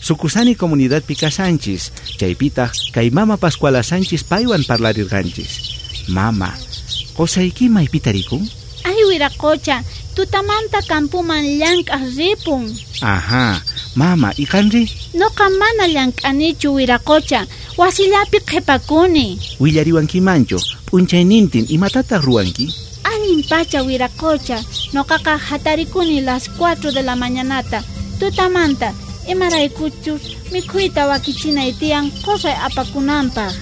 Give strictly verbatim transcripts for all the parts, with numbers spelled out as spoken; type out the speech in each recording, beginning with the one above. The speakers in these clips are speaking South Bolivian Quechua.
Sucusani comunidadpi kashanchis, chaypitaq kay mama Pascuala Sánchez paywan parlarirqanchis. Mama, qusayki maypita rikun? Ay, wiraqocha, tutamanta campuman llank'aq ripun. Ajá, mama, y qanri? Noqa mana llank'anichu, wiraqocha, wasillapi qhipakuni. Willariwankimanchu, p'unchaynintin imatataq ruwanki? Allin pacha, wiraqocha, noqaqa hatarikuni las cuatro de la mañanata, tutamanta, imaraykuchus mikhuyta wakichinay tiyan qusay apakunanpaq.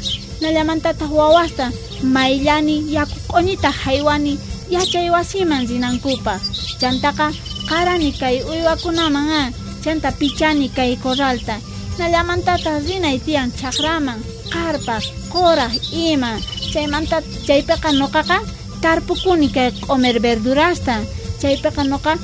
Nallamantataq wawasta mayllani yaku q'uñita haywani yachay wasiman rinankupaq. Chantaqa qarani kay uywakunaman a, chanta pichani kay corralta. Nallamantataq rinay tiyan chakraman, qarpaq, quraq ima. Chaymanta chaypiqa noqaqa tarpukuni kay q'omer verdurasta. Chaypiqa noqa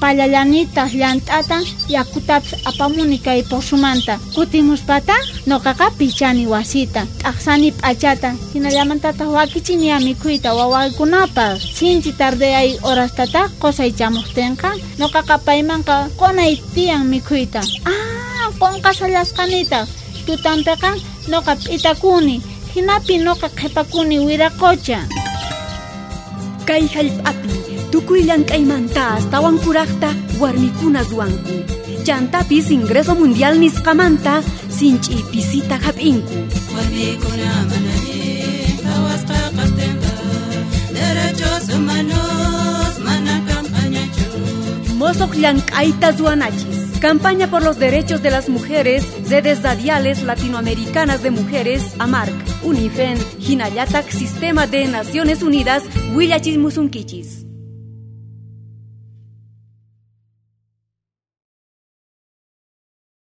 pallallanitaq llant'ata yakutapis apamuni kay pozomanta. Kutimuspataq noqaqa pichani wasita, t'aqsani p'achata, hinallamantataq wakichini mikhuyta wawaykunapaq. Sinchi tardeyay horastataq qusay chamuqtinqa noqaqa paymanqa qunay tiyan mikhuyta. Ah, qunqasallasqanitaq. Tutanpiqa noqa p'itakuni, hinapi noqa qhipakuni wiraqocha. Kay hallp'api tukuy llank'aymanta astawan kuraqta warmikuna ruwanku. Chantapis ingreso mundial nisqamanta sinch'i pisita hap'inku. Warmikuna mana allin qhawasqa kaqtinqa derechos humanos mana campañachu. Mosoq llank'ayta ruwanachis. Campaña por los Derechos de las Mujeres, Redes Radiales Latinoamericanas de Mujeres, AMARC, UNIFEN, Hinayatac, Sistema de Naciones Unidas, Willachismusunkichis.